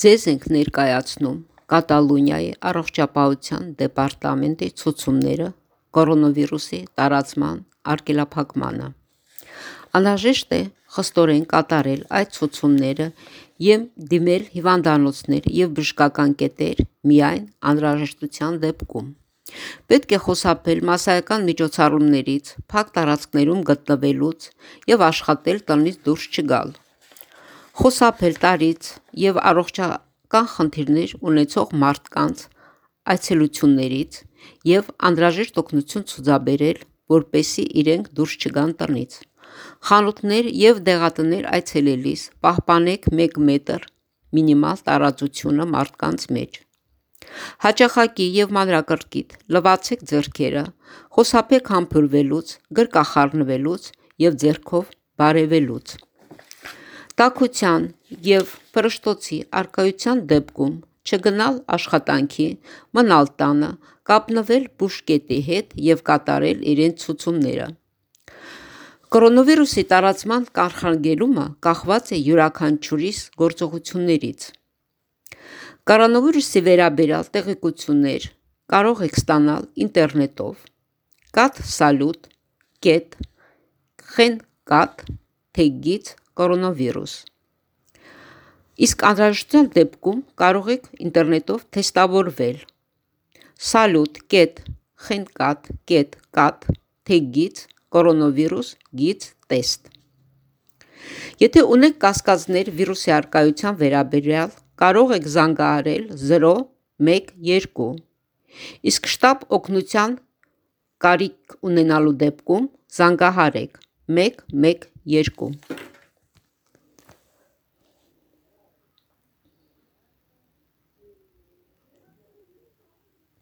Ձեզ ենք ներկայացնում Կատալոնիայի առողջապահության դեպարտամենտի ցուցումները կորոնավիրուսի տարածման արգելափակմանը։ Անհրաժեշտ է խստորեն կատարել այդ ցուցումները և դիմել հիվանդանոցներ և բժշկական կետեր միայն անհրաժեշտության դեպքում։ Պետք է խուսափել մասսայական միջոցառումներից, փակ տարածքներում գտնվելուց և աշխատել տնից դուրս չգալ։ Խուսափել տարրից և առողջական խնդիրներ ունեցող մարդկանց այցելություններից և անհրաժեշտ օգնություն ցուցաբերել, որպեսզի իրենք դուրս չգան տնից։ Խանութներ և դեղատներ այցելելիս պահպանեք 1 մետր մինիմալ տարածությունը մարդկանց մեջ։ Հաճախակի և մանրակրկիտ լվացեք ձեռքերը, խուսափեք համբուրվելուց, գրկախառնվելուց և ձեռքով բարևելուց։ Տաքության և փռշտոցի առկայության դեպքում չգնալ աշխատանքի, մնալ տանը, կապնվել բուժկետի հետ և կատարել իրենց ցուցումները։ Կորոնավիրուսի տարածման կանխարգելումը կախված է յուրաքանչյուրիս գործողություններից։ Կորոնավիրուսի վերաբերյալ տեղեկություններ կարող եք ստանալ ինտերնետով cat.salut.kent/կորոնավիրուս։ Իսկ անհրաժեշտության դեպքում կարող եք ինտերնետով թեստավորվել salut.cat.cat/կորոնավիրուս/test։ Եթե ունեք կասկածներ վիրուսի առկայության վերաբերյալ, կարող եք զանգահարել 012, իսկ շտապ օգնության կարիք ունենալու դեպքում զանգահարեք 112։